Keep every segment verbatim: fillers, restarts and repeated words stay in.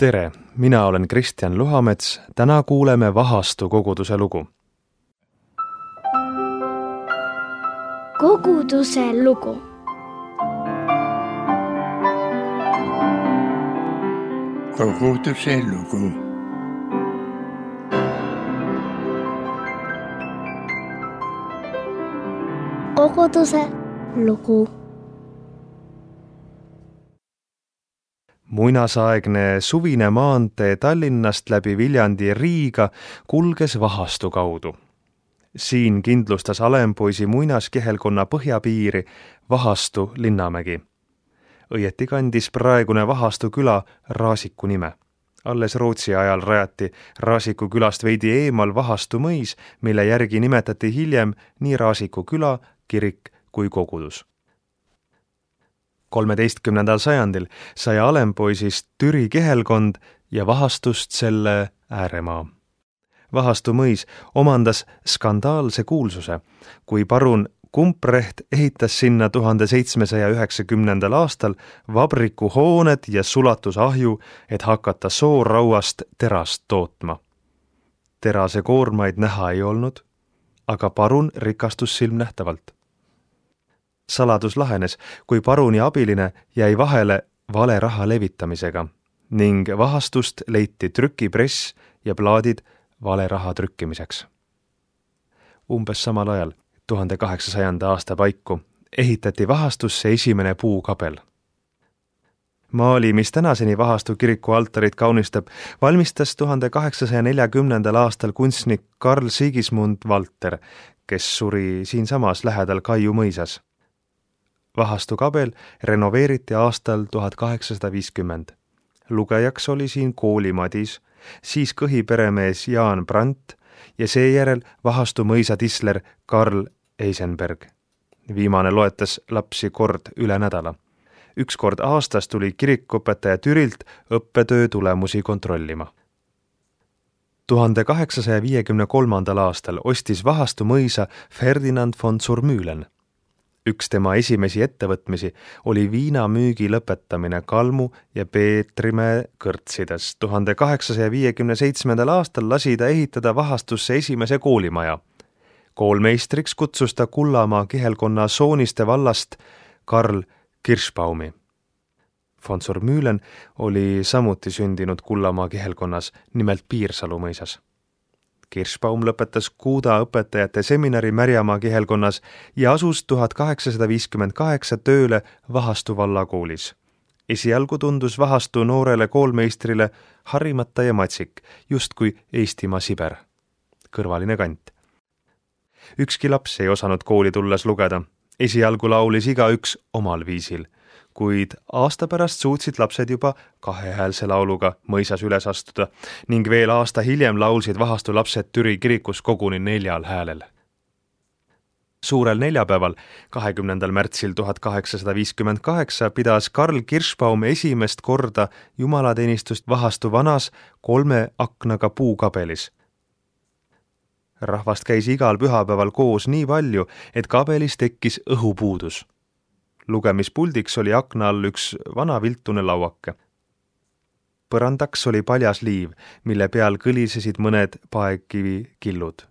Tere, mina olen Kristjan Luhamets, täna kuuleme Vahastu koguduse lugu. Koguduse lugu. Koguduse lugu. Koguduse lugu. Muinasaegne suvine maantee Tallinnast läbi Viljandi Riiga kulges Vahastu kaudu. Siin kindlustas Alempoisi muinaskehelkonna põhjapiiri Vahastu Linnamägi. Õieti kandis praegune Vahastu küla Raasiku nime. Alles Rootsi ajal rajati Raasiku külast veidi eemal Vahastu mõis, mille järgi nimetati hiljem nii Raasiku küla, kirik kui kogudus. kolmeteistkümnendal sajandil sai Alempoisist Türi kehelkond ja Vahastust selle ääremaa. Vahastu mõis omandas skandaalse kuulsuse, kui parun Kumprecht ehitas sinna tuhande seitsmesaja üheksakümnendal aastal vabrikuhooned ja sulatusahju, et hakata soorauast terast tootma. Terase koormaid näha ei olnud, aga parun rikastus silmnähtavalt. Saladus lahenes, kui paruni abiline jäi vahele vale raha levitamisega ning Vahastust leiti trükipress ja plaadid vale raha trükkimiseks. Umbes samal ajal, tuhande kaheksasajanda aasta paiku, ehitati Vahastusse esimene puukabel. Maali, mis tänaseni Vahastu kiriku altarit kaunistab, valmistas tuhande kaheksasaja neljakümnendal aastal kunstnik Carl Sigismund Valter, kes suri siinsamas lähedal Kaiu mõisas. Vahastu kabel renoveeriti aastal tuhat kaheksasada viiskümmend. Lugejaks oli siin kooli Madis, siis kõhiperemees Jaan Brandt ja seejärel Vahastu mõisa tisler Karl Eisenberg. Viimane loetas lapsi kord üle nädala. Üks kord aastas tuli kirikuõpetaja Türilt õppetöö tulemusi kontrollima. tuhande kaheksasaja viiekümne kolmandal aastal ostis Vahastu mõisa Ferdinand von Zurmühlen. Üks tema esimesi ettevõtmisi oli viinamüügi lõpetamine Kalmu ja Peetrimäe kõrtsides. tuhande kaheksasaja viiekümne seitsmendal aastal lasi ta ehitada Vahastusse esimese koolimaja. Koolmeistriks kutsus ta Kullamaa kihelkonna Sooniste vallast Karl Kirschbaumi. Von Zurmühlen oli samuti sündinud Kullamaa kihelkonnas, nimelt Piirsalu mõisas. Kirschbaum lõpetas Kuuda õpetajate seminari Märjamaa kihelkonnas ja asus tuhat kaheksasada viiskümmend kaheksa tööle Vahastu vallakoolis. Esialgu tundus Vahastu noorele koolmeistrile harimata ja matsik, justkui Eestimaa Siber. Kõrvaline kant. Ükski laps ei osanud kooli tulles lugeda. Esialgu laulis igaüks omal viisil, kuid aasta pärast suutsid lapsed juba kahehäälse lauluga mõisas üles astuda ning veel aasta hiljem laulsid Vahastu lapsed Türi kirikus koguni neljal häälel. Suurel neljapäeval, kahekümnendal märtsil tuhat kaheksasada viiskümmend kaheksa, pidas Karl Kirschbaum esimest korda jumalateenistust Vahastu vanas kolme aknaga puukabelis. Rahvast käis igal pühapäeval koos nii palju, et kabelis tekkis õhupuudus. Lugemispuldiks oli akna all üks vana viltune lauake. Põrandaks oli paljas liiv, mille peal kõlisesid mõned paekivi killud.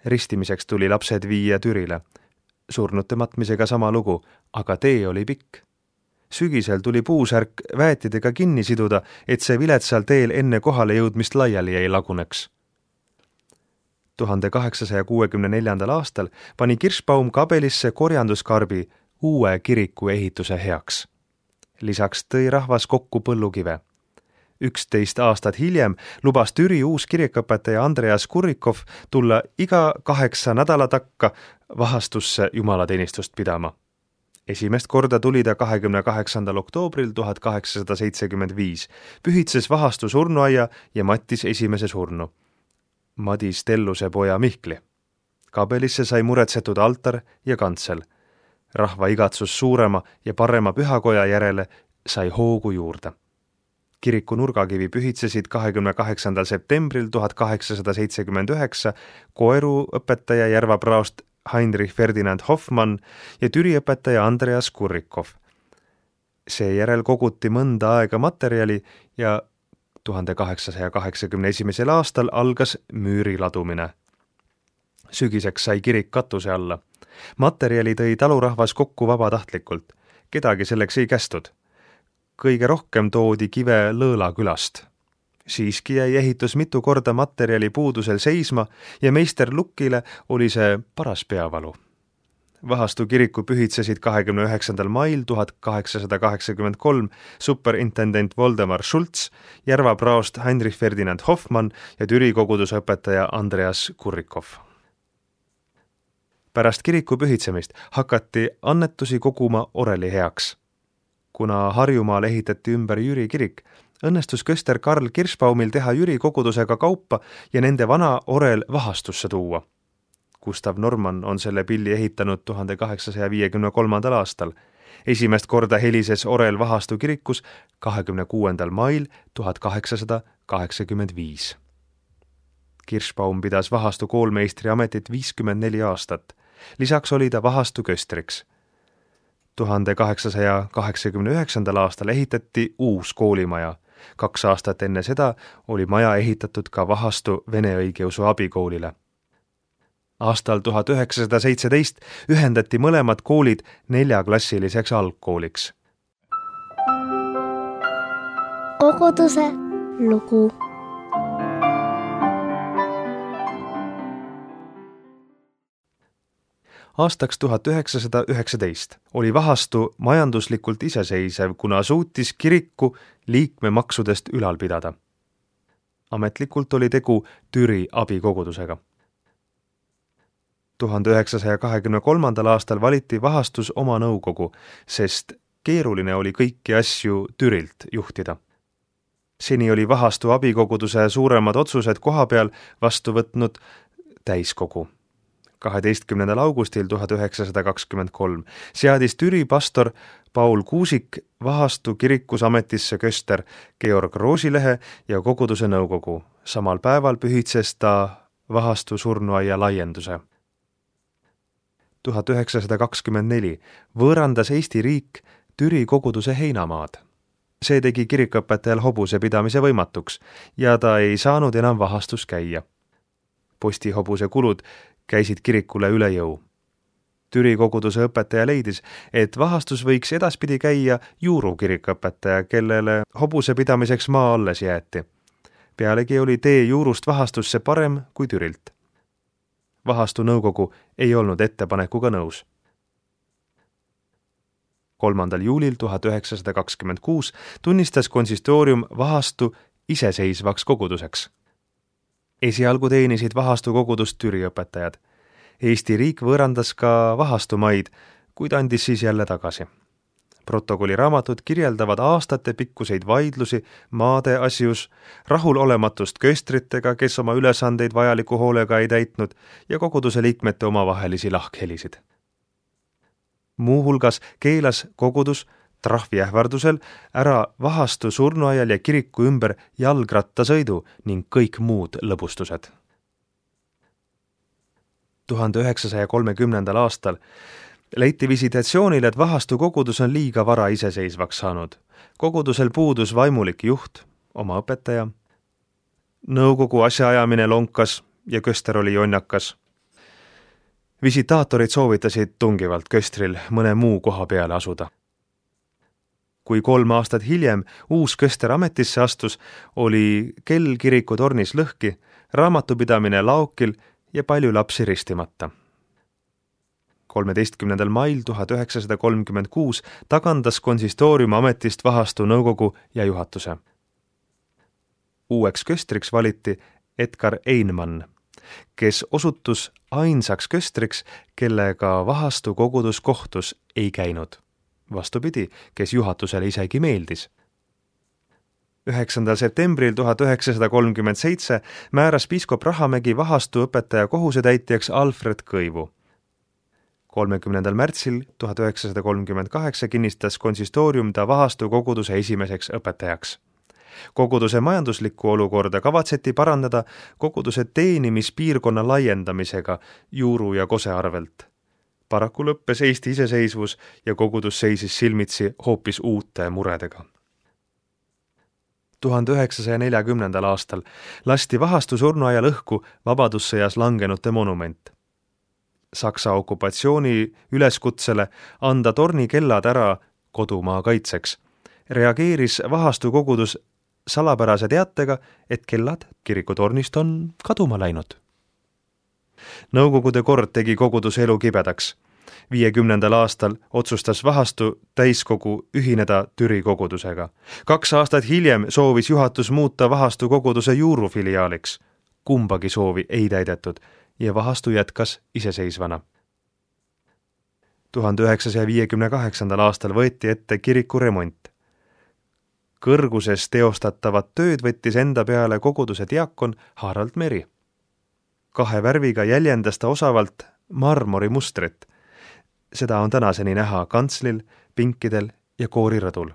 Ristimiseks tuli lapsed viia Türile. Surnute matmisega sama lugu, aga tee oli pikk. Sügisel tuli puusärk väetidega kinni siduda, et see viletsal teel enne kohale jõudmist laiali ei laguneks. tuhande kaheksasaja kuuekümne neljandal aastal pani Kirschbaum kabelisse korjanduskarbi uue kiriku ehituse heaks. Lisaks tõi rahvas kokku põllukive. Üksteist aastat hiljem lubas Türi uus kirikõpetaja Andreas Kurrikov tulla iga kaheksa nädala takka Vahastusse jumalateenistust pidama. Esimest korda tuli ta kahekümne kaheksandal oktoobril tuhat kaheksasada seitsekümmend viis, pühitses Vahastu surnuaia ja mattis esimese surnu. Madis Telluse poja Mihkli. Kabelisse sai muretsetud altar ja kantsel. Rahva igatsus suurema ja parema pühakoja järele sai hoogu juurde. Kiriku nurgakivi pühitsesid kahekümne kaheksandal septembril tuhat kaheksasada seitsekümmend üheksa koeru õpetaja Järvapraost Heinrich Ferdinand Hoffmann ja Türi õpetaja Andreas Kurrikov. Seejärel koguti mõnda aega materjali ja tuhande kaheksasaja kaheksakümne esimesel aastal algas müüri ladumine. Sügiseks sai kirik katuse alla. Materjali tõi talurahvas kokku vabatahtlikult. Kedagi selleks ei kästud. Kõige rohkem toodi kive Lõõla külast. Siiski jäi ehitus mitu korda materjali puudusel seisma ja meister Lukkile oli see paras peavalu. Vahastu kiriku pühitsesid kahekümne üheksandal mail tuhat kaheksasada kaheksakümmend kolm superintendent Voldemar Schultz, Järva praost Heinrich Ferdinand Hoffmann ja Türi koguduse õpetaja Andreas Kurrikov. Pärast kiriku pühitsemist hakati annetusi koguma oreli heaks. Kuna Harjumaal ehitati ümber Jüri kirik, õnnestus köster Karl Kirschbaumil teha Jüri kogudusega kaupa ja nende vana orel Vahastusse tuua. Gustav Norman on selle pilli ehitanud tuhande kaheksasaja viiekümne kolmandal aastal. Esimest korda helises orel Vahastu kirikus kahekümne kuuendal mail tuhat kaheksasada kaheksakümmend viis. Kirschbaum pidas Vahastu koolmeistri ametit viiskümmend neli aastat. Lisaks oli ta Vahastu köstriks. tuhande kaheksasaja kaheksakümne üheksandal aastal ehitati uus koolimaja. Kaks aastat enne seda oli maja ehitatud ka Vahastu vene õigeusu abikoolile. Aastal tuhat üheksasada seitseteist ühendati mõlemad koolid neljaklassiliseks algkooliks. Koguduse lugu. Aastaks tuhat üheksasada üheksateist oli Vahastu majanduslikult iseseisev, kuna suutis kiriku liikmemaksudest ülal pidada. Ametlikult oli tegu Türi abikogudusega. tuhande üheksasaja kahekümne kolmandal aastal valiti Vahastus oma nõukogu, sest keeruline oli kõiki asju Türilt juhtida. Seni oli Vahastu abikoguduse suuremad otsused koha peal vastu võtnud täiskogu. kaheteistkümnendal augustil tuhat üheksasada kakskümmend kolm seadis Türi pastor Paul Kuusik Vahastu kirikus ametisse köster Georg Roosilehe ja koguduse nõukogu. Samal päeval pühitses ta Vahastu surnuaia laienduse. tuhat üheksasada kakskümmend neli võõrandas Eesti riik Türi koguduse heinamaad. See tegi kirikuõpetajal hobuse pidamise võimatuks ja ta ei saanud enam Vahastus käia. Postihobuse kulud käisid kirikule üle jõu. Türi koguduse õpetaja leidis, et Vahastus võiks edaspidi käia Juuru kirikuõpetaja, kellele hobuse pidamiseks maa alles jäeti. Pealegi oli tee Juurust Vahastusse parem kui Türilt. Vahastu nõukogu ei olnud ettepanekuga nõus. kolmandal juulil tuhat üheksasada kakskümmend kuus tunnistas konsistoorium Vahastu iseseisvaks koguduseks. Esialgu teenisid Vahastu kogudust Türi õpetajad. Eesti riik võõrandas ka Vahastu maid, kuid andis siis jälle tagasi. Protokolli raamatud kirjeldavad aastate pikkuseid vaidlusi maade asjus, rahulolematust köstritega, kes oma ülesandeid vajaliku hoolega ei täitnud, ja koguduse liikmete omavahelisi lahkhelisid. Muuhulgas keelas kogudus trahvi ähvardusel ära Vahastu surnuaial ja kiriku ümber jalgrattasõidu ning kõik muud lõbustused. tuhande üheksasaja kolmekümnendal aastal leiti visitatsioonil, et Vahastu kogudus on liiga vara iseseisvaks saanud. Kogudusel puudus vaimulik juht, oma õpetaja. Nõukogu asjaajamine lonkas ja köster oli jonnakas. Visitaatorid soovitasid tungivalt köstril mõne muu koha peale asuda. Kui kolm aastat hiljem uus köster ametisse astus, oli kell kiriku tornis lõhki, raamatupidamine laokil ja palju lapsi ristimata. kolmeteistkümnendal mail tuhat üheksasada kolmkümmend kuus tagandas konsistoorium ametist Vahastu nõukogu ja juhatuse. Uueks köstriks valiti Edgar Einmann, kes osutus ainsaks köstriks, kellega Vahastu kogudus kohtus ei käinud. Vastupidi, kes juhatusele isegi meeldis. üheksandal septembril tuhat üheksasada kolmkümmend seitse määras piiskop Rahamägi Vahastu õpetaja kohusetäitjaks Alfred Kõivu. kolmekümnendal märtsil tuhat üheksasada kolmkümmend kaheksa kinnistas konsistoorium ta Vahastu koguduse esimeseks õpetajaks. Koguduse majanduslikku olukorda kavatseti parandada koguduse teenimispiirkonna laiendamisega Juuru ja Kose arvelt. Paraku lõppes Eesti iseseisvus ja kogudus seisis silmitsi hoopis uute muredega. tuhande üheksasaja neljakümnendal aastal lasti Vahastu surnuaial õhku vabadussõjas langenute monument. Saksa okupatsiooni üleskutsele anda tornikellad ära kodumaa kaitseks reageeris Vahastu kogudus salapärase teatega, et kellad kirikutornist on kaduma läinud. Nõukogude kord tegi koguduse elu kibedaks. viiekümnendal aastal otsustas Vahastu täiskogu ühineda Türi kogudusega. Kaks aastat hiljem soovis juhatus muuta Vahastu koguduse juurufiliaaliks. Kumbagi soovi ei täidetud ja Vahastu jätkas iseseisvana. tuhande üheksasaja viiekümne kaheksandal aastal võeti ette kiriku remont. Kõrguses teostatavat tööd võttis enda peale koguduse diakon Harald Meri. Kahe värviga jäljendas ta osavalt marmorimustrit. Seda on tänaseni näha kantslil, pinkidel ja koorirõdul.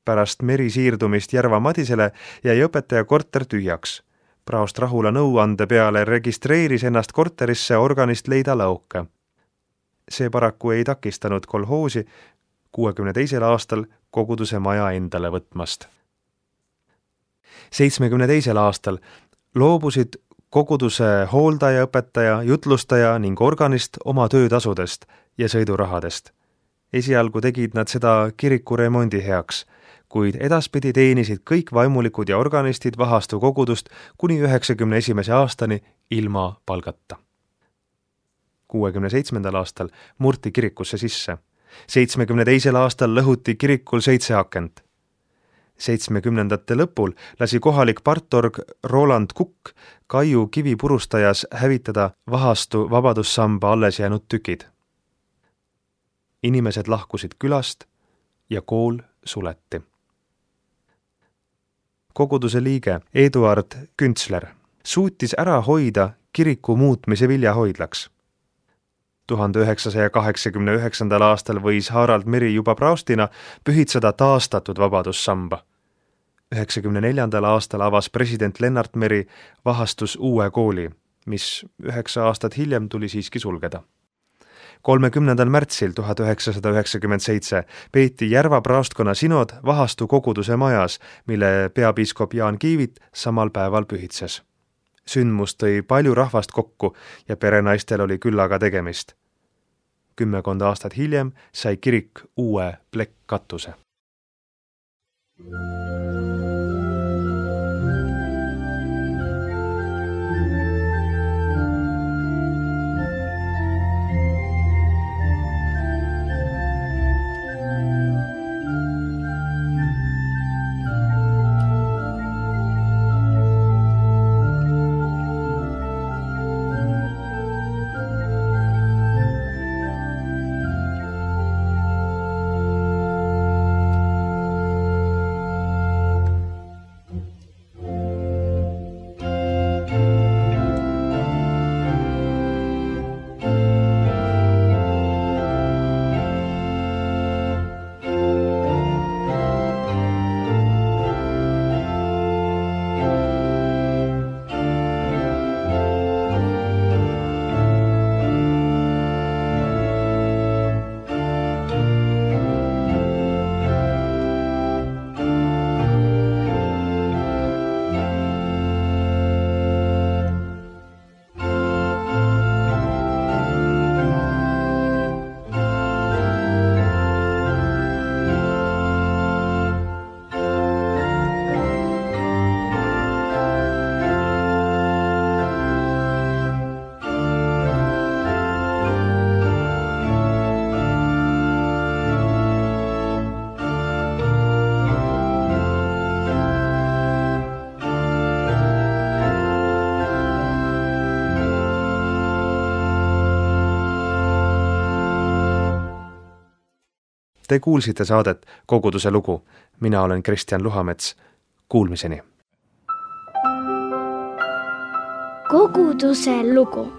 Pärast Meri siirdumist Järva Madisele jäi õpetaja korter tühjaks. Praost Rahula nõuande peale registreeris ennast korterisse organist Leida Lauke. See paraku ei takistanud kolhoosi kuuekümne teisel aastal koguduse maja endale võtmast. seitsmekümne teisel aastal loobusid koguduse hooldaja, õpetaja, jutlustaja ning organist oma töötasudest ja sõidurahadest. Esialgu tegid nad seda kiriku remondi heaks, kuid edaspidi teenisid kõik vaimulikud ja organistid Vahastu kogudust kuni üheksakümne esimese aastani ilma palgata. kuuekümne seitsmendal aastal murti kirikusse sisse. seitsmekümne teisel aastal lõhuti kirikul seitse akent. seitsmekümnendate lõpul lasi kohalik partorg Roland Kukk Kaiu kivipurustajas hävitada Vahastu vabadussamba alles jäänud tükid. Inimesed lahkusid külast ja kool suleti. Koguduse liige Eduard Küntsler suutis ära hoida kiriku muutmise viljahoidlaks. tuhande üheksasaja kaheksakümne üheksandal aastal võis Harald Meri juba praostina pühitseda taastatud vabadussamba. üheksakümne neljandal aastal avas president Lennart Meri Vahastus uue kooli, mis üheksa aastat hiljem tuli siiski sulgeda. kolmekümnendal märtsil tuhat üheksasada üheksakümmend seitse peeti Järva praostkonna sinod Vahastu koguduse majas, mille peapiiskop Jaan Kiivit samal päeval pühitses. Sündmus tõi palju rahvast kokku ja perenaistel oli küllaga tegemist. Kümmekond aastat hiljem sai kirik uue plekkkatuse. Te kuulsite saadet Koguduse lugu. Mina olen Kristjan Luhamets. Kuulmiseni. Koguduse lugu.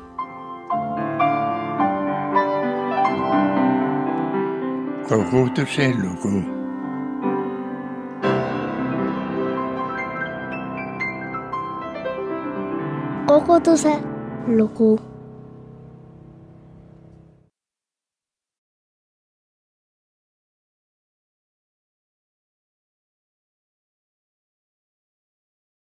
Koguduse lugu. Koguduse lugu.